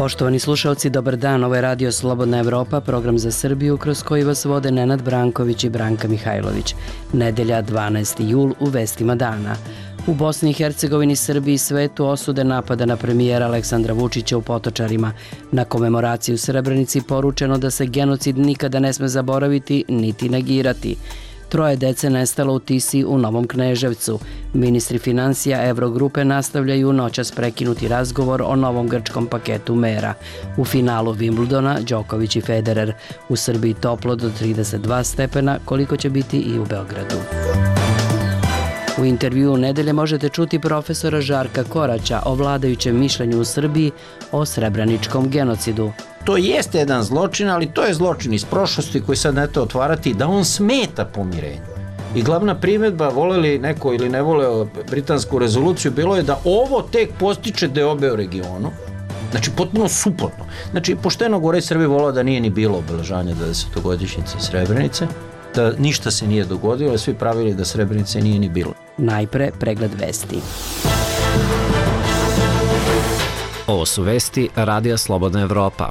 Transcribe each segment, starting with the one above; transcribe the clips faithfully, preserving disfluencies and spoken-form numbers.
Poštovani slušalci, dobar dan. Ovo je Radio Slobodna Evropa, program za Srbiju kroz koji vas vode Nenad Branković i Branka Mihajlović. Nedelja, dvanaesti jul, u vestima dana. U Bosni i Hercegovini, Srbiji i svetu osude napada na premijera Aleksandra Vučića u Potočarima. Na komemoraciji u Srebrenici poručeno da se genocid nikada ne sme zaboraviti niti negirati. Troje dece nestalo u Tisi u Novom Kneževcu. Ministri financija Evrogrupe nastavljaju noćas prekinuti razgovor o novom grčkom paketu mera. U finalu Wimbledona Đoković i Federer. U Srbiji toplo do trideset dva stepena, koliko će biti i u Beogradu. U intervjuu nedelje možete čuti profesora Žarka Koraća o vladajućem mišljenju u Srbiji o srebreničkom genocidu. To jeste jedan zločin, ali to je zločin iz prošlosti koji sad neto otvarati, da on smeta pomirenju. I glavna primjedba, voleli neko ili ne voleo britansku rezoluciju, bilo je da ovo tek postiče deobe u regionu. Znači, potpuno suprotno. Znači, pošteno gore Srbije volao da nije ni bilo obeležavanja dvadesetogodišnjice Srebrenice, da ništa se nije dogodilo, svi pravili da Srebrenice nije ni bilo. Najpre pregled vesti. Ovo su vesti Radija Slobodna Evropa.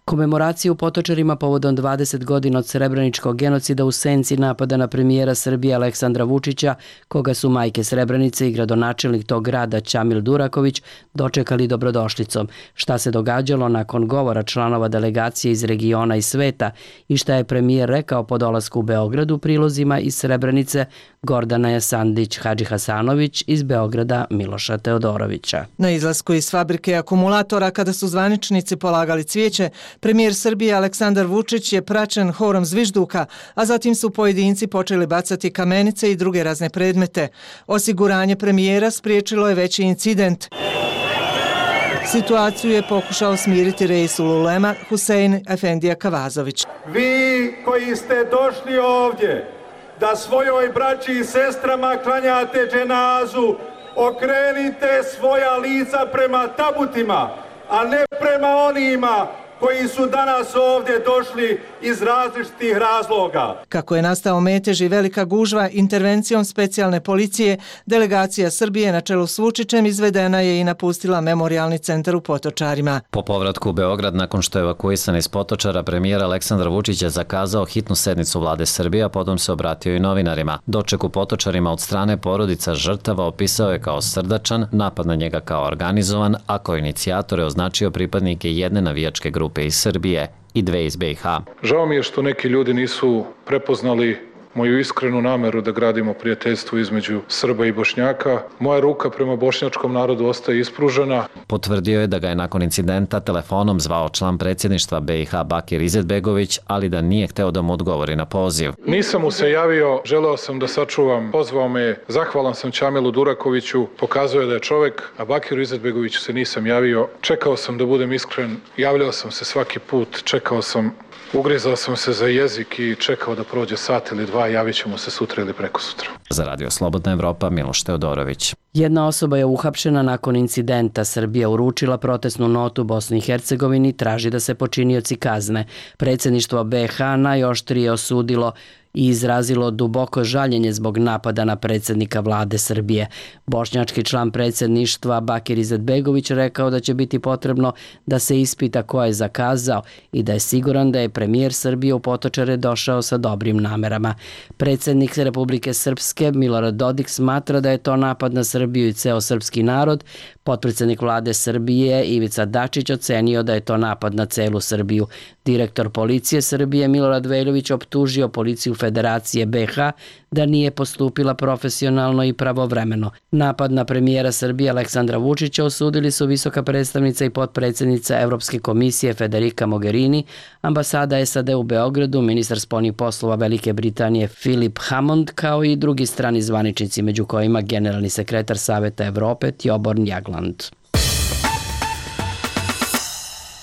Komemoracija u Potočarima povodom dvadeset godina od srebreničkog genocida u senci napada na premijera Srbije Aleksandra Vučića, koga su majke Srebrenice i gradonačelnik tog grada Ćamil Duraković dočekali dobrodošlicom. Šta se događalo nakon govora članova delegacije iz regiona i sveta i šta je premijer rekao po dolasku u Beogradu, prilozima iz Srebrenice Gordana Jasandić Hadžihasanović, iz Beograda Miloša Teodorovića. Na izlasku iz fabrike akumulatora, kada su zvaničnici polagali cvijeće, premijer Srbije Aleksandar Vučić je praćen horom zvižduka, a zatim su pojedinci počeli bacati kamenice i druge razne predmete. Osiguranje premijera spriječilo je veći incident. Situaciju je pokušao smiriti Reisul Ulema Husein Efendija Kavazović. Vi koji ste došli ovdje da svojoj braći i sestrama klanjate dženazu, okrenite svoja lica prema tabutima, a ne prema onima koji su danas ovdje došli iz različitih razloga. Kako je nastao metež i velika gužva, intervencijom specijalne policije, delegacija Srbije na čelu s Vučićem izvedena je i napustila memorijalni centar u Potočarima. Po povratku u Beograd, nakon što je evakuisan iz Potočara, premijer Aleksandar Vučić je zakazao hitnu sednicu vlade Srbije, a potom se obratio i novinarima. Doček u Potočarima od strane porodica žrtava opisao je kao srdačan, napad na njega kao organizovan, a kao inicijatore označio pripadnike jedne navijačke grupe iz Srbije i dve iz be i ha. Žao mi je što neki ljudi nisu prepoznali moju iskrenu nameru da gradimo prijateljstvo između Srba i Bošnjaka. Moja ruka prema bošnjačkom narodu ostaje ispružena. Potvrdio je da ga je nakon incidenta telefonom zvao član predsjedništva be i ha Bakir Izetbegović, ali da nije hteo da mu odgovori na poziv. Nisam mu se javio, želeo sam da sačuvam, pozvao me, zahvalan sam Ćamilu Durakoviću, pokazuje da je čovek, a Bakiru Izetbegoviću se nisam javio. Čekao sam da budem iskren, javljao sam se svaki put, čekao sam, ugrizao sam se za jezik i čekao da prođe sat ili dva, javit ćemo se sutra ili preko sutra. Za Radio Slobodna Evropa, Miloš Teodorović. Jedna osoba je uhapšena nakon incidenta. Srbija uručila protestnu notu Bosni i Hercegovini, traži da se počinioci kazne. Predsjedništvo be i ha najoštrije osudilo i izrazilo duboko žaljenje zbog napada na predsjednika vlade Srbije. Bošnjački član predsjedništva Bakir Izetbegović rekao da će biti potrebno da se ispita ko je zakazao i da je siguran da je premijer Srbije u Potočare došao sa dobrim namerama. Predsjednik Republike Srpske Milorad Dodik smatra da je to napad na Srbiju i ceo srpski narod. Potpredsjednik vlade Srbije Ivica Dačić ocenio da je to napad na celu Srbiju. Direktor policije Srbije Milorad Veljović optužio policiju Federacije be i ha da nije postupila profesionalno i pravovremeno. Napad na premijera Srbije Aleksandra Vučića osudili su visoka predstavnica i potpredsjednica Evropske komisije Federica Mogherini, ambasada es a de u Beogradu, ministar spoljnih poslova Velike Britanije Philip Hammond, kao i drugi strani zvaničnici, među kojima generalni sekretar Saveta Evrope Tjoborn Jagland.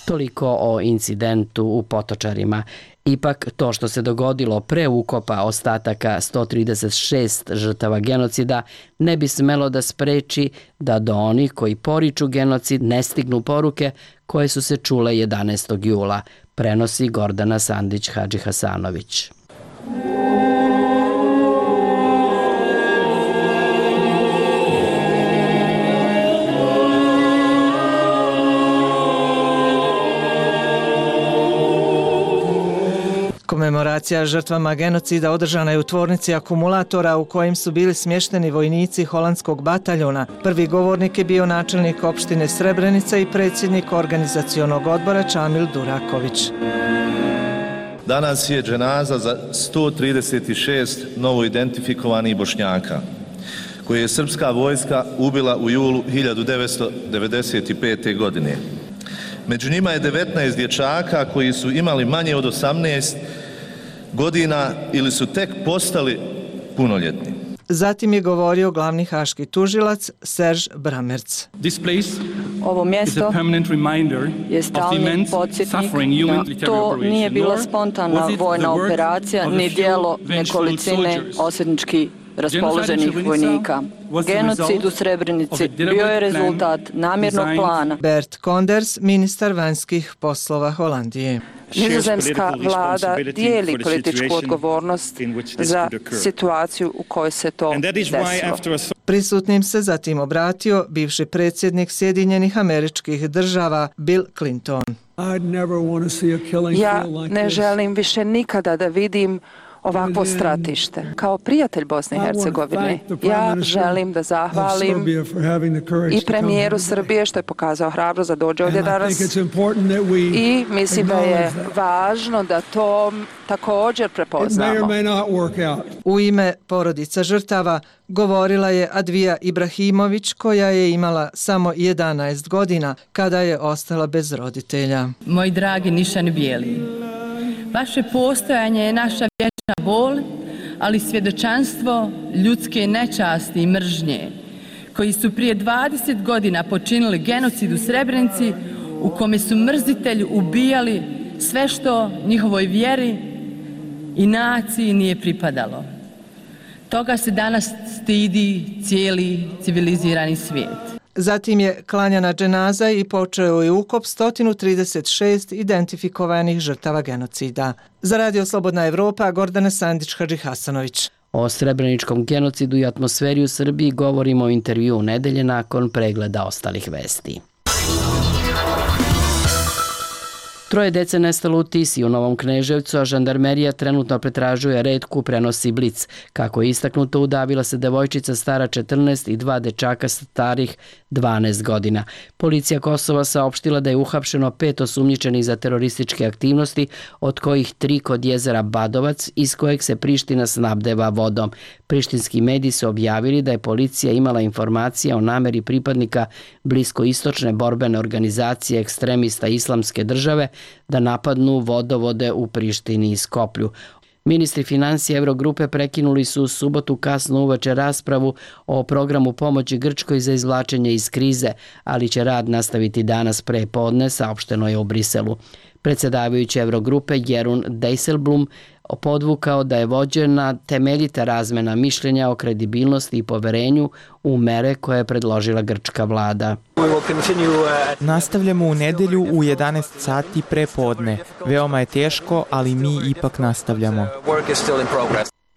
Toliko o incidentu u Potočarima. Ipak, to što se dogodilo pre ukopa ostataka sto trideset šest žrtava genocida ne bi smelo da spreči da do onih koji poriču genocid ne stignu poruke koje su se čule jedanaestog jula, prenosi Gordana Sandić Hadžihasanović. Komemoracija žrtvama genocida održana je u tvornici akumulatora u kojem su bili smješteni vojnici holandskog bataljona. Prvi govornik je bio načelnik opštine Srebrenica i predsjednik organizacionog odbora Čamil Duraković. Danas je dženaza za sto trideset šest novo identifikovanih Bošnjaka, koje je srpska vojska ubila u julu hiljadu devetsto devedeset pete. godine. Među njima je devetnaest dječaka koji su imali manje od osamnaest godina ili su tek postali punoljetni. Zatim je govorio glavni haški tužilac Serž Bramerc. Ovo mjesto je stalni podsjetnik da to nije bila spontana vojna operacija ni dijelo nekolicine osvetnički raspoloženih vojnika. Genocid u Srebrenici bio je rezultat namjernog plana. Bert Koenders, ministar vanjskih poslova Holandije. Nizozemska vlada dijeli političku odgovornost za situaciju u kojoj se to desilo. Prisutnim se zatim obratio bivši predsjednik Sjedinjenih Američkih Država Bill Clinton. Ja ne želim više nikada da vidim ovakvo stratište. Kao prijatelj Bosne i Hercegovine, ja želim da zahvalim i premijeru Srbije što je pokazao hrabrost da dođe ovdje danas i mislim da je važno da to također prepoznamo. U ime porodica žrtava govorila je Advija Ibrahimović, koja je imala samo jedanaest godina kada je ostala bez roditelja. Moji dragi nišani bijeli, vaše postojanje je naša vječna bol, ali svjedočanstvo ljudske nečasti i mržnje, koji su prije dvadeset godina počinili genocid u Srebrenici, u kome su mrzitelji ubijali sve što njihovoj vjeri i naciji nije pripadalo. Toga se danas stidi cijeli civilizirani svijet. Zatim je klanjana dženaza i počeo je ukop sto trideset šest identifikovanih žrtava genocida. Za Radio Slobodna Evropa, Gordana Sandić-Hadžihasanović. O srebreničkom genocidu i atmosferi u Srbiji govorimo u intervju nedelje nakon pregleda ostalih vesti. Troje dece nestalo u Tisi u Novom Kneževcu, a žandarmerija trenutno pretražuje retku, prenosi Blic. Kako je istaknuto, udavila se devojčica stara četrnaest i dva dečaka starih dvanaest godina. Policija Kosova saopštila da je uhapšeno pet osumnjičenih za terorističke aktivnosti, od kojih tri kod jezera Badovac, iz kojeg se Priština snabdeva vodom. Prištinski mediji su objavili da je policija imala informacije o nameri pripadnika bliskoistočne borbene organizacije ekstremista Islamske države da napadnu vodovode u Prištini i Skoplju. Ministri financija Eurogrupe prekinuli su u subotu kasno uveče raspravu o programu pomoći Grčkoj za izvlačenje iz krize, ali će rad nastaviti danas pre podne, saopšteno je u Briselu. Predsjedavajući Eurogrupe Jeroen Dijsselbloem podvukao da je vođena temeljita razmena mišljenja o kredibilnosti i poverenju u mere koje je predložila grčka vlada. Nastavljamo u nedelju u jedanaest sati pre podne. Veoma je teško, ali mi ipak nastavljamo.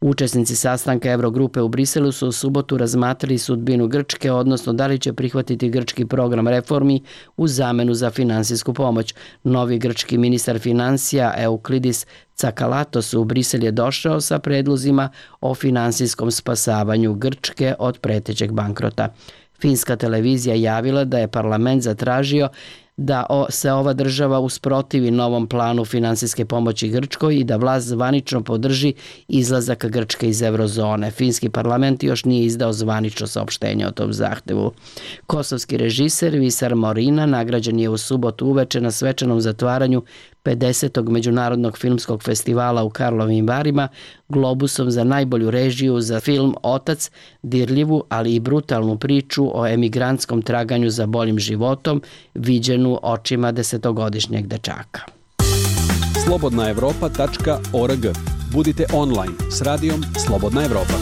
Učesnici sastanka Eurogrupe u Briselu su u subotu razmatrali sudbinu Grčke, odnosno da li će prihvatiti grčki program reformi u zamenu za finansijsku pomoć. Novi grčki ministar financija Euklidis Tsakalatos u Brisel je došao sa predlozima o finansijskom spasavanju Grčke od pretećeg bankrota. Finska televizija javila da je parlament zatražio da se ova država usprotivi novom planu finansijske pomoći Grčkoj i da vlast zvanično podrži izlazak Grčke iz eurozone. Finski parlament još nije izdao zvanično saopštenje o tom zahtevu. Kosovski režiser Visar Morina nagrađen je u subotu uveče na svečanom zatvaranju pedesetog međunarodnog filmskog festivala u Karlovim Varima Globusom za najbolju režiju za film Otac, dirljivu, ali i brutalnu priču o emigrantskom traganju za boljim životom, viđenu očima desetogodišnjeg dečaka. slobodna evropa tačka org. Budite online s radijom Slobodna Evropa.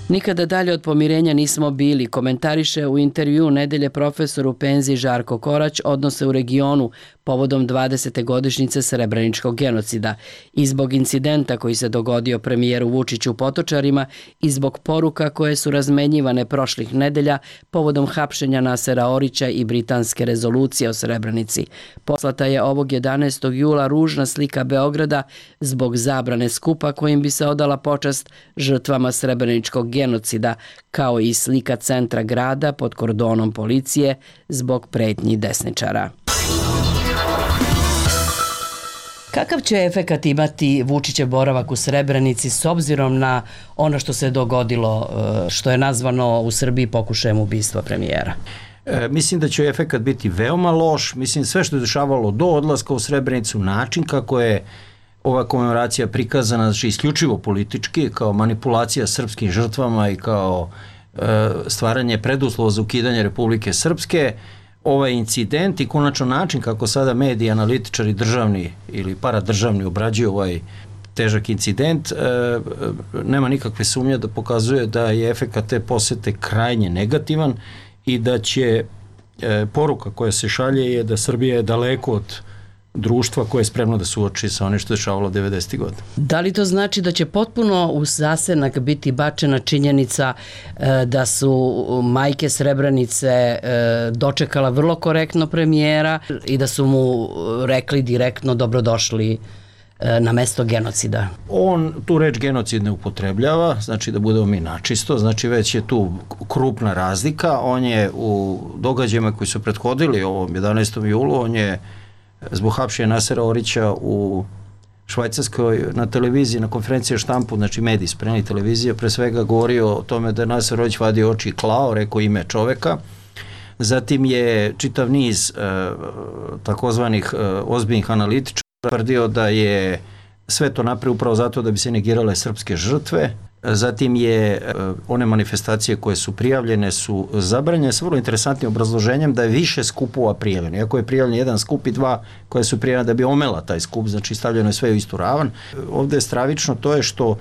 Nikada dalje od pomirenja nismo bili, komentariše u intervju nedelje profesor u penziji Žarko Korać odnose u regionu povodom dvadesete godišnjice Srebreničkog genocida i zbog incidenta koji se dogodio premijeru Vučiću u Potočarima i zbog poruka koje su razmenjivane prošlih nedelja povodom hapšenja Nasera Orića i britanske rezolucije o Srebrenici. Poslata je ovog jedanaestog jula ružna slika Beograda zbog zabrane skupa kojim bi se odala počast žrtvama Srebreničkog genocida, kao i slika centra grada pod kordonom policije zbog pretnji desničara. Kakav će efekat imati Vučićev boravak u Srebrenici s obzirom na ono što se dogodilo, što je nazvano u Srbiji pokušajem ubistva premijera? E, mislim da će efekat biti veoma loš. Mislim sve što je dešavalo do odlaska u Srebrenicu, način kako je ova komemoracija prikazana, znači isključivo politički, kao manipulacija srpskim žrtvama i kao e, stvaranje preduslova za ukidanje Republike Srpske, ovaj incident i konačno način kako sada mediji, analitičari državni ili paradržavni obrađuju ovaj težak incident, e, nema nikakve sumnje da pokazuje da je efekat te posete krajnje negativan i da će e, poruka koja se šalje je da Srbija je daleko od društva koje je spremno da suoči sa onim što je dešavalo devedesetih godina. Da li to znači da će potpuno u zasenak biti bačena činjenica e, da su majke Srebrenice e, dočekala vrlo korektno premijera i da su mu rekli direktno dobrodošli e, na mesto genocida? On tu reč genocid ne upotrebljava, znači da budemo mi načisto, znači već je tu krupna razlika. On je u događajima koji su prethodili ovom jedanaestom julu, on je zbog hapšenja Nasera Orića u Švajcarskoj na televiziji, na konferenciji štampu, znači mediji spremni televizije, pre svega govorio o tome da je Naser Orić vadio oči i klao, rekao ime čoveka. Zatim je čitav niz e, takozvanih e, ozbiljnih analitičara tvrdio da je sve to napravio upravo zato da bi se negirale srpske žrtve. Zatim je one manifestacije koje su prijavljene su zabranjene sa vrlo interesantnim obrazloženjem da je više skupova prijavljeno. Iako je prijavljen jedan skup i dva koje su prijavljene da bi omela taj skup, znači stavljeno je sve u istu ravan. Ovde je stravično to je što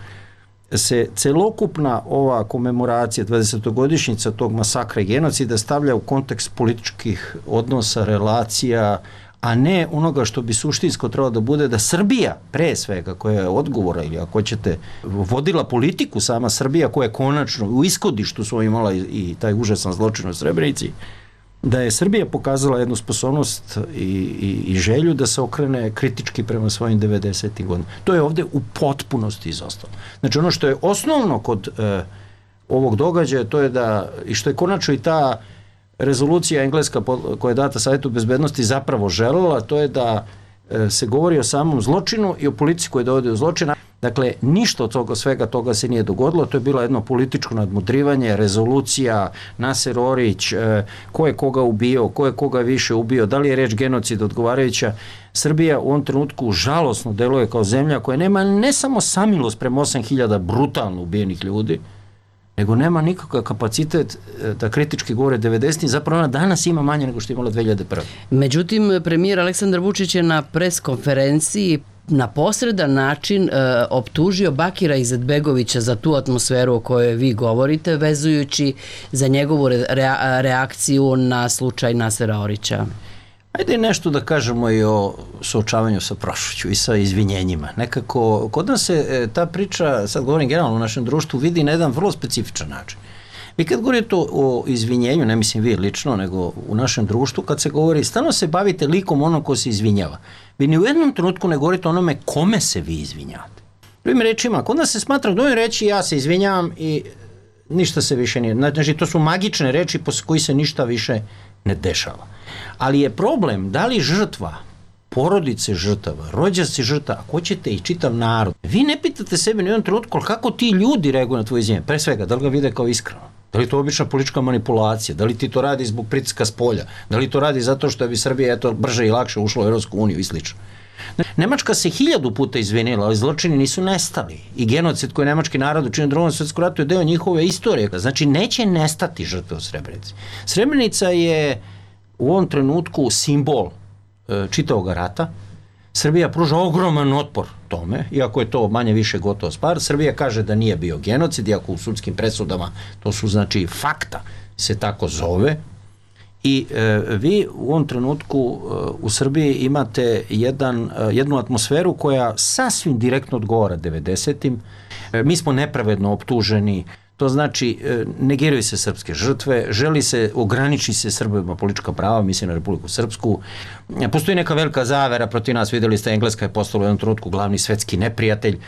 se celokupna ova komemoracija dvadesetogodišnjica tog masakra i genocida stavlja u kontekst političkih odnosa, relacija, a ne onoga što bi suštinsko trebalo da bude da Srbija, pre svega, koja je odgovora ili ako ćete, vodila politiku sama Srbija koja je konačno u ishodištu svoj imala i, i taj užasan zločin u Srebrenici, da je Srbija pokazala jednu sposobnost i, i, i želju da se okrene kritički prema svojim devedesetim godinama. To je ovde u potpunosti izostalo. Znači ono što je osnovno kod e, ovog događaja, to je da, i što je konačno i ta rezolucija engleska koja je data Savjetu bezbednosti zapravo želela, to je da e, se govori o samom zločinu i o politici koja dovodi do zločina. Dakle, ništa od toga, svega toga se nije dogodilo, to je bilo jedno političko nadmudrivanje, rezolucija, Naser Orić, e, ko je koga ubio, ko je koga više ubio, da li je reč genocid odgovarajuća. Srbija u ovom trenutku žalosno deluje kao zemlja koja nema ne samo samilost prema osam hiljada brutalno ubijenih ljudi, nego nema nikakav kapacitet da kritički govore devedesetih, zapravo ona danas ima manje nego što je imala dve hiljade prve. Međutim, premijer Aleksandar Vučić je na pres konferenciji na posredan način e, optužio Bakira Izetbegovića za tu atmosferu o kojoj vi govorite, vezujući za njegovu re, reakciju na slučaj Nasera Orića. Ajde nešto da kažemo i o suočavanju sa prošlošću i sa izvinjenjima. Nekako, kod nas se ta priča, sad govorim generalno u našem društvu, vidi na jedan vrlo specifičan način. Vi kad govorite o izvinjenju, ne mislim vi lično, nego u našem društvu, kad se govori, stalno se bavite likom onom ko se izvinjava. Vi ni u jednom trenutku ne govorite onome kome se vi izvinjavate. Drugim rečima, kod nas se smatra dovoljno reći ja se izvinjavam i ništa se više nije. Znači, to su magične reči posle koji se ništa više ne dešava. Ali je problem da li žrtva, porodice žrtava, rođaci žrtava, ako ćete i čitav narod, vi ne pitate sebe ni u jednom trenutku kako ti ljudi reaguju na tvoje izvinjenje. Pre svega, da li ga vide kao iskreno? Da li to obična politička manipulacija? Da li ti to radi zbog pritiska s polja? Da li to radi zato što bi Srbija eto, brže i lakše ušla u Evropsku uniju i slično? Nemačka se hiljadu puta izvinila, ali zločini nisu nestali. I genocid koji je nemački narod učinio u Drugom svjetskom ratu je deo njihove istorije. Znači, neće nestati žrtve u Srebrenici. Srebrenica je u ovom trenutku simbol e, čitavog rata, Srbija pruža ogroman otpor tome, iako je to manje više gotovo stvar. Srbija kaže da nije bio genocid, iako u sudskim presudama to su znači fakta, se tako zove. I e, vi u ovom trenutku e, u Srbiji imate jedan, e, jednu atmosferu koja sasvim direktno odgovara devedesetim. E, mi smo nepravedno optuženi, to znači e, negiraju se srpske žrtve, želi se, ograniči se Srbima politička prava, mislim na Republiku Srpsku. E, postoji neka velika zavera protiv nas, videli ste, Engleska je postala u jednom trenutku glavni svetski neprijatelj.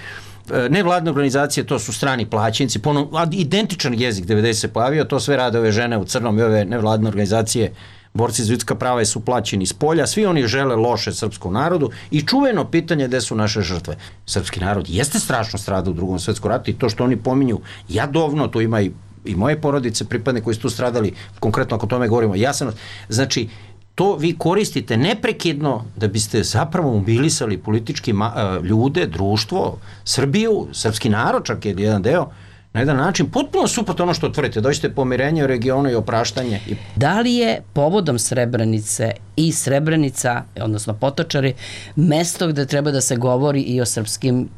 Nevladne organizacije, to su strani plaćenici, ponovno, identičan jezik devedeset se pojavio, to sve rade ove žene u crnom i ove nevladne organizacije, borci za ljudska prava su plaćeni iz polja, svi oni žele loše srpskom narodu i čuveno pitanje gde su naše žrtve. Srpski narod jeste strašno stradao u drugom svetskom ratu i to što oni pominju jadovno, to ima i, i moje porodice, pripadne koji su tu stradali, konkretno ako tome govorimo, ja sam, znači, to vi koristite neprekidno da biste zapravo mobilisali politički ljude, društvo, Srbiju, srpski narod, čak je jedan deo, na jedan način potpuno suprotno ono što tvrdite, dođete pomirenje u regionu i opraštanje. Da li je povodom Srebrenice i Srebrenica, odnosno Potočari, mesto gde treba da se govori i o srpskim,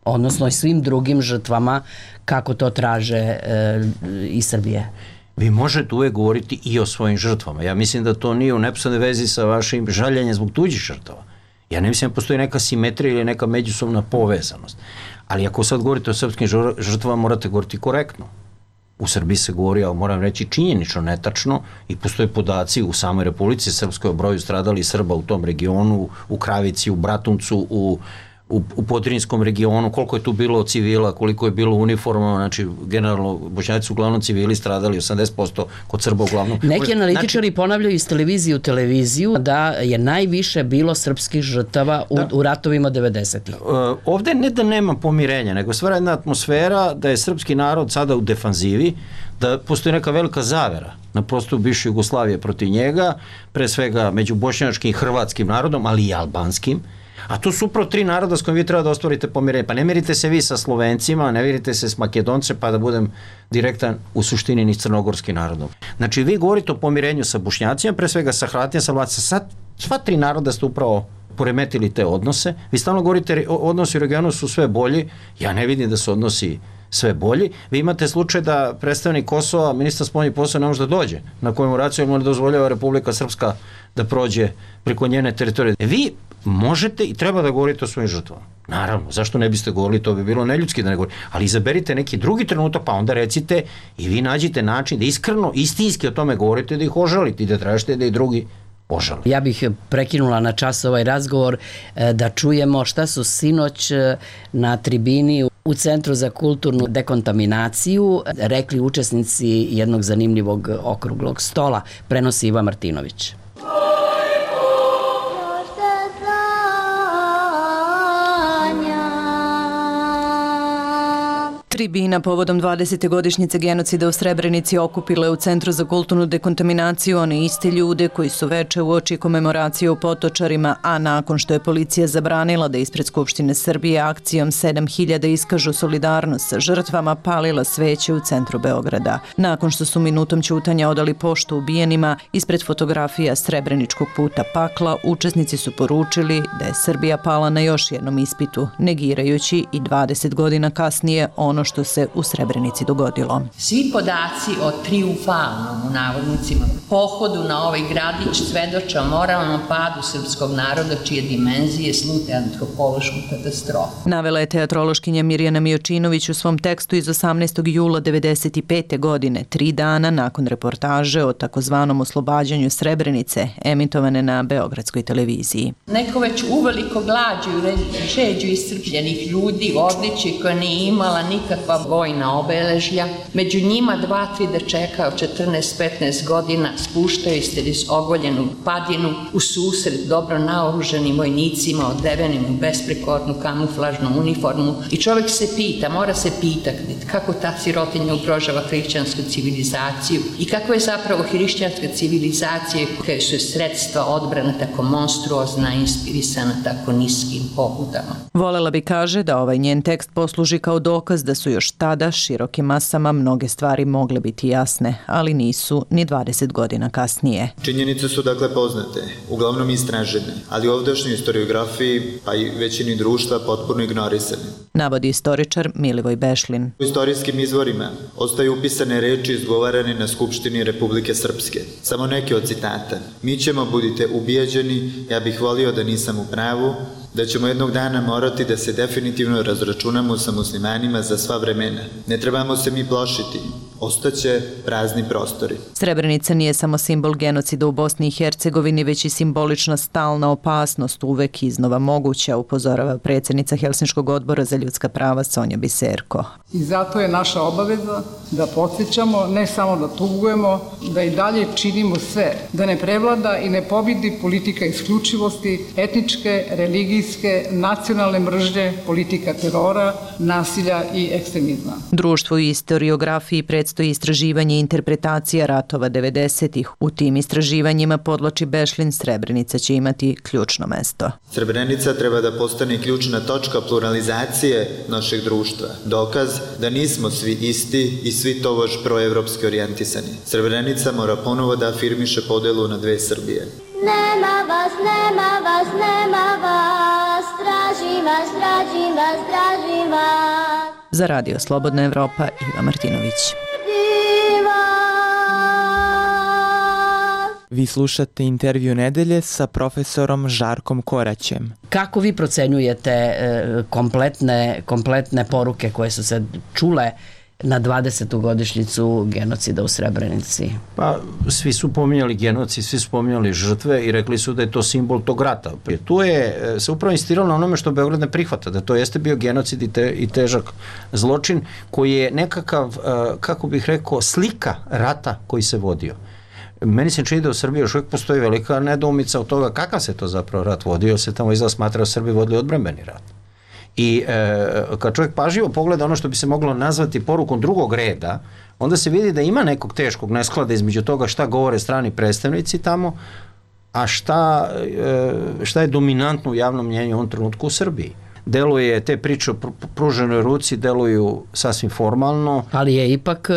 odnosno i svim drugim žrtvama, kako to traže e, i Srbije? Vi možete uvek govoriti i o svojim žrtvama. Ja mislim da to nije u neposrednoj vezi sa vašim žaljenjem zbog tuđih žrtava. Ja ne mislim da postoji neka simetrija ili neka međusobna povezanost. Ali ako sad govorite o srpskim žrtvama, morate govoriti korektno. U Srbiji se govori, ali moram reći činjenično, netačno, i postoje podaci u samoj Republici Srpskoj o broju stradalih Srba u tom regionu, u Kravici, u Bratuncu, u u, u Podrinskom regionu, koliko je tu bilo civila, koliko je bilo uniforma, znači generalno Bošnjaci su uglavnom civili stradali, osamdeset posto kod Srba uglavnom. Neki analitičari znači, ponavljaju iz televizije u televiziju da je najviše bilo srpskih žrtava u, da. u ratovima devedesetih. Uh, ovde ne da nema pomirenja, nego stvara jedna atmosfera da je srpski narod sada u defanzivi, da postoji neka velika zavera na prostoru bivše Jugoslavije protiv njega, pre svega među bošnjačkim i hrvatskim narodom, ali i albanskim. A to su upravo tri naroda s kojim vi treba da ostvarite pomirenje. Pa ne mirite se vi sa Slovencima, ne mirite se s Makedonce, pa da budem direktan u suštini ni s crnogorskim narodom. Znači vi govorite o pomirenju sa Bošnjacima, pre svega sa Hrvatima, sa Vlacima, sva tri naroda ste upravo poremetili te odnose. Vi stalno govorite, odnosi u regionu su sve bolji, ja ne vidim da su odnosi sve bolji. Vi imate slučaj da predstavnik Kosova, ministar spoljnih poslova, ne može da dođe na komemoraciju, jer mu ne dozvoljava Republika Srpska da prođe preko njene teritorije. Vi možete i treba da govorite o svojim žrtvama. Naravno, zašto ne biste govorili, to bi bilo neljudski da ne govorite, ali izaberite neki drugi trenutak, pa onda recite i vi nađite način da iskreno, istinski o tome govorite, da ih ožalite i da tražite da i drugi ožale. Ja bih prekinula na čas ovaj razgovor da čujemo šta su sinoć na tribini u Centru za kulturnu dekontaminaciju rekli učesnici jednog zanimljivog okruglog stola. Prenosi Iva Martinović. Tribina povodom dvadesete godišnjice genocida u Srebrenici okupila je u Centru za kulturnu dekontaminaciju one iste ljude koji su veče uoči komemoracije u Potočarima, a nakon što je policija zabranila da ispred Skupštine Srbije akcijom sedam hiljada iskažu solidarnost sa žrtvama, palila sveće u centru Beograda. Nakon što su minutom ćutanja odali poštu ubijenima, ispred fotografija Srebreničkog puta pakla, učesnici su poručili da je Srbija pala na još jednom ispitu, negirajući i dvadeset godina kasnije ono što se u Srebrenici dogodilo. Svi podaci o triumfalnom, u navodnicima, pohodu na ovaj gradić svedoče o moralnom padu srpskog naroda čije dimenzije slute antropološku katastrofu. Navela je teatrološkinja Mirjana Mijočinović u svom tekstu iz osamnaestog jula devedeset pete. godine, tri dana nakon reportaže o takozvanom oslobađanju Srebrenice, emitovane na Beogradskoj televiziji. Neko već uveliko glađu žeđu iscrpljenih ljudi u odličju koja nije imala nikakva vojna obeležja. Među njima dva, tri dečeka od četrnaest petnaest godina spuštaju se iz ogoljenu padinu u susret dobro naoruženim vojnicima odevenim u besprekornu kamuflažnu uniformu i čovjek se pita, mora se pitati kako ta sirotinja ugrožava hrišćansku civilizaciju i kako je zapravo hrišćanska civilizacija koja su sredstva odbrana tako monstruozna i inspirisana tako niskim pobudama. Volela bi, kaže, da ovaj njen tekst posluži kao dokaz da su još tada širokim masama mnoge stvari mogle biti jasne, ali nisu ni dvadeset godina kasnije. Činjenice su dakle poznate, uglavnom istražene, ali u ovdašnjoj historiografiji, pa i većini društva potpuno ignorisane. Navodi istoričar Milivoj Bešlin. U istorijskim izvorima ostaju upisane reči izgovarane na Skupštini Republike Srpske. Samo neke od citata. Mi ćemo, budite ubijeđeni, ja bih volio da nisam u pravu, da ćemo jednog dana morati da se definitivno razračunamo sa muslimanima za sva vremena. Ne trebamo se mi plašiti. Ostaće prazni prostori. Srebrenica nije samo simbol genocida u Bosni i Hercegovini, već i simbolična stalna opasnost, uvek iznova moguća, upozorava predsjednica Helsinškog odbora za ljudska prava Sonja Biserko. I zato je naša obaveza da podsjećamo, ne samo da tugujemo, da i dalje činimo sve, da ne prevlada i ne pobjedi politika isključivosti, etničke, religijske, nacionalne mržnje, politika terora, nasilja i ekstremizma. Društvu i historiografiji predstoji istraživanje i interpretacija ratova devedesetih. U tim istraživanjima, podloči Bešlin, Srebrenica će imati ključno mesto. Srebrenica treba da postane ključna točka pluralizacije našeg društva. Dokaz da nismo svi isti i svi tobož proevropski orijentisani. Srebrenica mora ponovo da afirmiše podelu na dve Srbije. Nema vas, nema vas, nema vas, tražim vas, tražim vas, tražim vas. Za Radio Slobodna Evropa, Iva Martinović. Vi slušate intervju nedelje sa profesorom Žarkom Koraćem. Kako vi procenjujete kompletne, kompletne poruke koje su se čule na dvadesetu godišnjicu genocida u Srebrenici? Pa, svi su pominjali genocid, svi su pominjali žrtve i rekli su da je to simbol tog rata. Tu je se upravo insistiralo na onome što Beograd ne prihvata, da to jeste bio genocid i, te, i težak zločin koji je nekakav, kako bih rekao, slika rata koji se vodio. Meni se čini da u Srbiji još uvijek postoji velika nedoumica od toga kakav se to zapravo rat vodio, se tamo izgleda smatra da Srbi vodili odbrambeni rat. I e, kad čovjek pažljivo pogleda ono što bi se moglo nazvati porukom drugog reda, onda se vidi da ima nekog teškog nesklada između toga šta govore strani predstavnici tamo, a šta, e, šta je dominantno u javnom mnjenju u ovom trenutku u Srbiji. Deluje, te priče o pruženoj ruci deluju sasvim formalno. Ali je ipak e,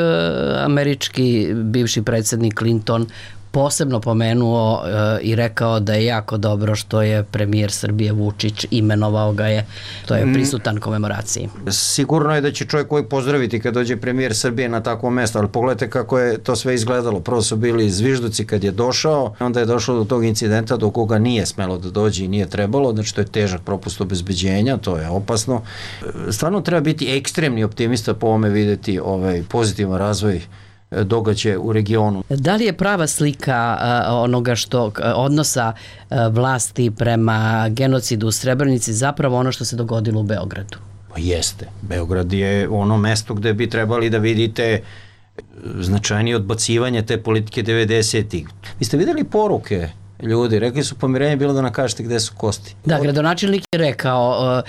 američki bivši predsjednik Clinton posebno pomenuo e, i rekao da je jako dobro što je premijer Srbije Vučić, imenovao ga je, to je prisutan komemoraciji. Sigurno je da će čovjek koji pozdraviti kad dođe premijer Srbije na takvo mesto, ali pogledajte kako je to sve izgledalo. Prvo su bili zvižduci kad je došao, onda je došlo do tog incidenta do koga nije smelo da dođe i nije trebalo, znači to je težak propust obezbeđenja, to je opasno. Stvarno treba biti ekstremni optimista po ovome vidjeti ovaj pozitivan razvoj događaje u regionu. Da li je prava slika uh, onoga što uh, odnosa uh, vlasti prema genocidu u Srebrenici zapravo ono što se dogodilo u Beogradu? Pa jeste. Beograd je ono mesto gde bi trebali da vidite značajnije odbacivanje te politike devedesetih. Vi ste videli poruke ljudi, rekli su pomirenje bilo da nam kažete gde su kosti. Da, gradonačelnik je rekao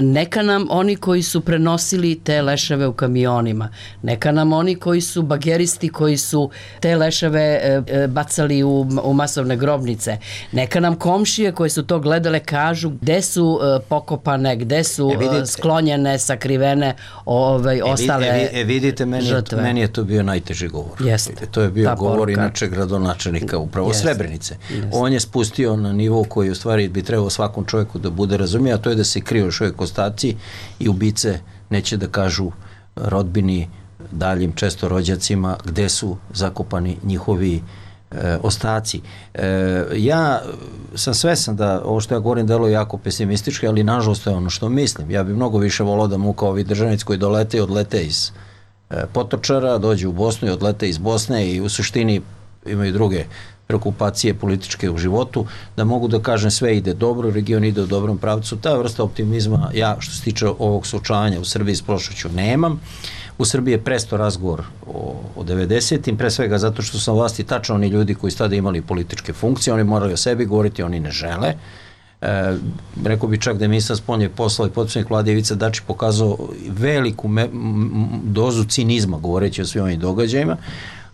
neka nam oni koji su prenosili te leševe u kamionima, neka nam oni koji su bageristi koji su te leševe bacali u, u masovne grobnice, neka nam komšije koji su to gledale kažu gde su pokopane, gde su e, vidite, sklonjene, sakrivene ovaj, ostale e, e, vidite, meni žrtve. Je, meni je to bio najteži govor. Jeste. To je bio Ta govor poruka. Inače gradonačelnika upravo Jeste. Srebrenice. Jeste. On je spustio na nivo koji u stvari bi trebao svakom čovjeku da bude razumije, a to je da se kriju još uvijek ostaci i ubice neće da kažu rodbini, daljim često rođacima gde su zakopani njihovi e, ostaci. E, ja sam svesan da ovo što ja govorim deluje jako pesimistički, ali nažalost to je ono što mislim. Ja bih mnogo više volao da mu kao ovi državnici koji dolete i odlete iz e, Potočara, dođu u Bosnu i odlete iz Bosne i u suštini imaju druge preokupacije političke u životu, da mogu da kažem sve ide dobro, region ide u dobrom pravcu. Ta vrsta optimizma, ja što se tiče ovog suočavanja u Srbiji s prošlošću nemam. U Srbiji je presto razgovor o, o devedesetim, pre svega zato što su na vlasti tačno oni ljudi koji su tada imali političke funkcije, oni morali o sebi govoriti, oni ne žele. E, rekao bi čak da je ministar spoljnih poslova i potpredsjednik Vlade Ivica Dačić pokazao veliku me, m, dozu cinizma govoreći o svim ovim događajima,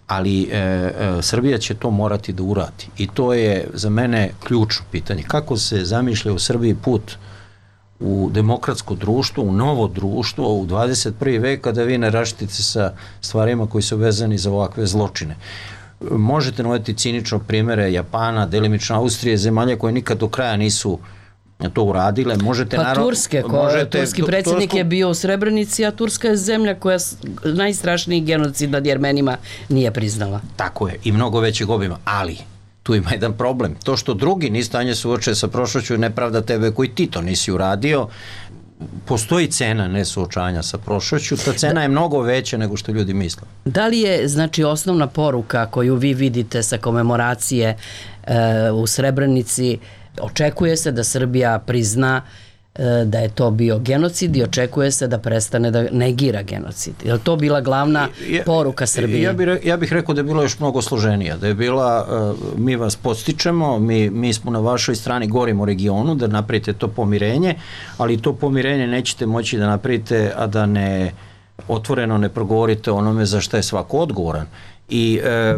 ali e, e, Srbija će to morati da uradi. I to je za mene ključno pitanje. Kako se zamišlja u Srbiji put u demokratsko društvo, u novo društvo, u dvadeset prvi vek, kada vi ne raštite sa stvarima koji su vezani za ovakve zločine. Možete navoditi cinično primere Japana, delimično Austrije, zemalja koje nikad do kraja nisu to uradile. Možete, pa naravno, Turske, ko, možete, turski predsjednik Tursku... je bio u Srebrenici, a Turska je zemlja koja najstrašniji genocid nad Jermenima nije priznala. Tako je, i mnogo većeg obima, ali tu ima jedan problem. To što drugi ni stanje suoče sa prošlošću nepravda tebe koji ti to nisi uradio. Postoji cena nesuočanja sa prošlošću, ta cena je mnogo veća nego što ljudi misle. Da li je, znači, osnovna poruka koju vi vidite sa komemoracije e, u Srebrenici, očekuje se da Srbija prizna e, da je to bio genocid i očekuje se da prestane da negira genocid? Je li to bila glavna ja, poruka Srbije? Ja bih, ja bih rekao da je bilo još mnogo složenija, da je bila, uh, mi vas podstičemo, mi, mi smo na vašoj strani, govorimo o regionu, da napravite to pomirenje, ali to pomirenje nećete moći da napravite, a da ne otvoreno ne progovorite onome za šta je svako odgovoran. I e, e,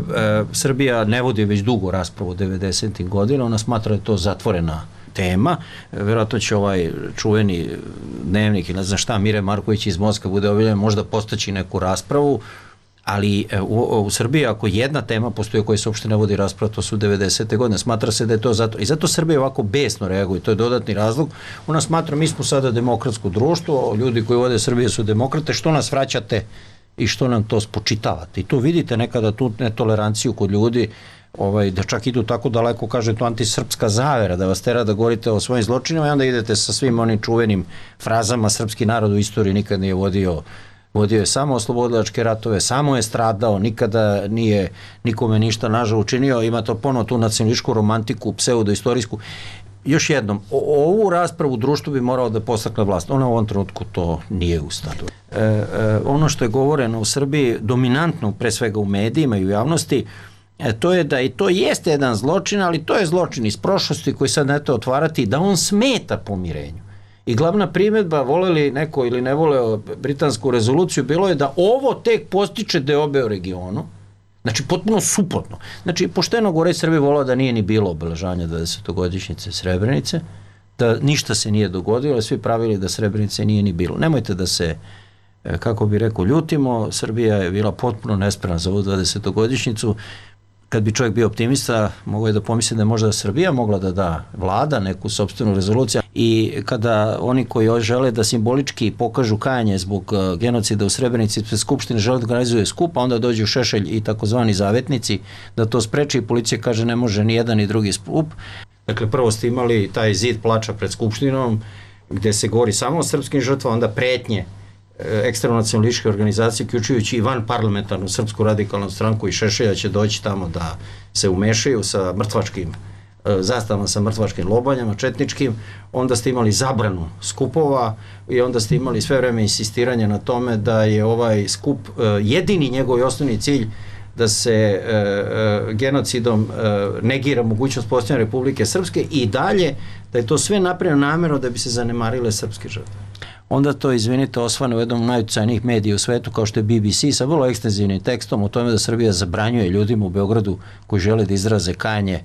Srbija ne vodi već dugo raspravu u devedesetim godina, ona smatra da je to zatvorena tema, vjerojatno će ovaj čuveni dnevnik ili ne znam šta, Mire Marković iz Moskve bude objavljen, možda postaći neku raspravu, ali u, u Srbiji ako jedna tema postoji o kojoj se uopšte ne vodi rasprava, to su devedesete godine, smatra se da je to zato, i zato Srbija ovako besno reaguje, to je dodatni razlog, ona smatra mi smo sada demokratsko društvo, ljudi koji vode Srbije su demokrate, što nas vraćate i što nam to spočitavate. I tu vidite nekada tu netoleranciju kod ljudi, ovaj, da čak idu tako daleko, kaže to antisrpska zavera, da vas tera da govorite o svojim zločinima i onda idete sa svim onim čuvenim frazama srpski narod u istoriji nikad nije vodio, vodio je samo oslobodilačke ratove, samo je stradao, nikada nije nikome ništa nažal učinio, ima to ponovo tu nacionalističku romantiku, pseudoistorijsku. Još jednom, o, ovu raspravu u društvu bi morao da postakne vlast. Ona u ovom trenutku to nije u stadu. E, e, ono što je govoreno u Srbiji, dominantno pre svega u medijima i u javnosti, e, to je da i to jeste jedan zločin, ali to je zločin iz prošlosti koji sad ne to otvarati, da on smeta pomirenju. I glavna primjedba, voleli neko ili ne voleo britansku rezoluciju, bilo je da ovo tek postiče deobe u regionu. Znači, potpuno suprotno. Znači, pošteno gore Srbije volao da nije ni bilo obeležanja dvadesetogodišnjice Srebrenice, da ništa se nije dogodilo, svi pravili da Srebrenice nije ni bilo. Nemojte da se, kako bi rekao, ljutimo, Srbija je bila potpuno nespremna za ovu dvadesetogodišnjicu. Kad bi čovjek bio optimista, mogo je da pomisli da je možda Srbija mogla da da vlada neku sopstvenu rezoluciju i kada oni koji žele da simbolički pokažu kajanje zbog genocida u Srebrenici, pre Skupštine žele da organizuje skup, a onda dođu Šešelj i takozvani zavetnici da to spreči i policija kaže ne može ni jedan ni drugi skup. Dakle, prvo ste imali taj zid plača pred Skupštinom gde se govori samo o srpskim žrtvama, onda pretnje ekstremno nacionalističke organizacije, uključujući i van parlamentarnu Srpsku radikalnu stranku i Šešelja će doći tamo da se umešaju sa mrtvačkim zastavama, sa mrtvačkim lobanjama, četničkim, onda ste imali zabranu skupova i onda ste imali sve vreme insistiranje na tome da je ovaj skup jedini njegov i osnovni cilj da se e, e, genocidom e, negira mogućnost postojanja Republike Srpske i dalje da je to sve napravljeno namjerno da bi se zanemarile srpske žrtve. Onda to, izvinite, osvane u jednom najuticajnijih medija u svetu kao što je B B C sa vrlo ekstenzivnim tekstom o tome da Srbija zabranjuje ljudima u Beogradu koji žele da izraze kajanje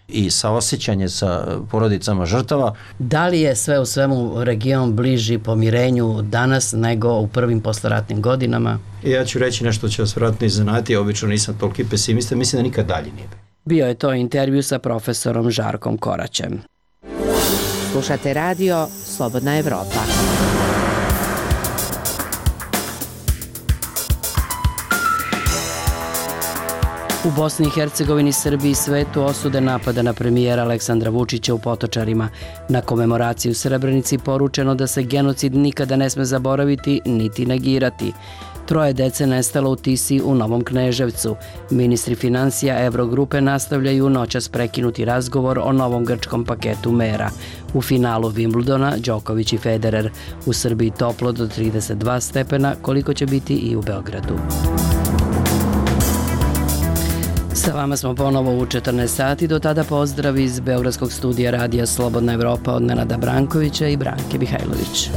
i saosećanje sa porodicama žrtava. Da li je sve u svemu region bliži pomirenju danas nego u prvim posleratnim godinama? Ja ću reći nešto će vas vjerojatno iznenaditi, ja obično nisam toliki pesimista, mislim da nikad dalje nije. Bio je to intervju sa profesorom Žarkom Koraćem. Slušate radio Slobodna Evropa. U Bosni i Hercegovini, Srbiji i svetu osude napada na premijera Aleksandra Vučića u Potočarima. Na komemoraciji u Srebrenici poručeno da se genocid nikada ne sme zaboraviti niti negirati. Troje dece nestalo u Tisi u Novom Kneževcu. Ministri financija Evrogrupe nastavljaju noćas prekinuti razgovor o novom grčkom paketu mera. U finalu Wimbledona Đoković i Federer. U Srbiji toplo do trideset dva stepena, koliko će biti i u Beogradu. Sa vama smo ponovo u četrnaest sati, do tada pozdrav iz Beogradskog studija radija Slobodna Evropa od Nenada Brankovića i Branke Mihajlović.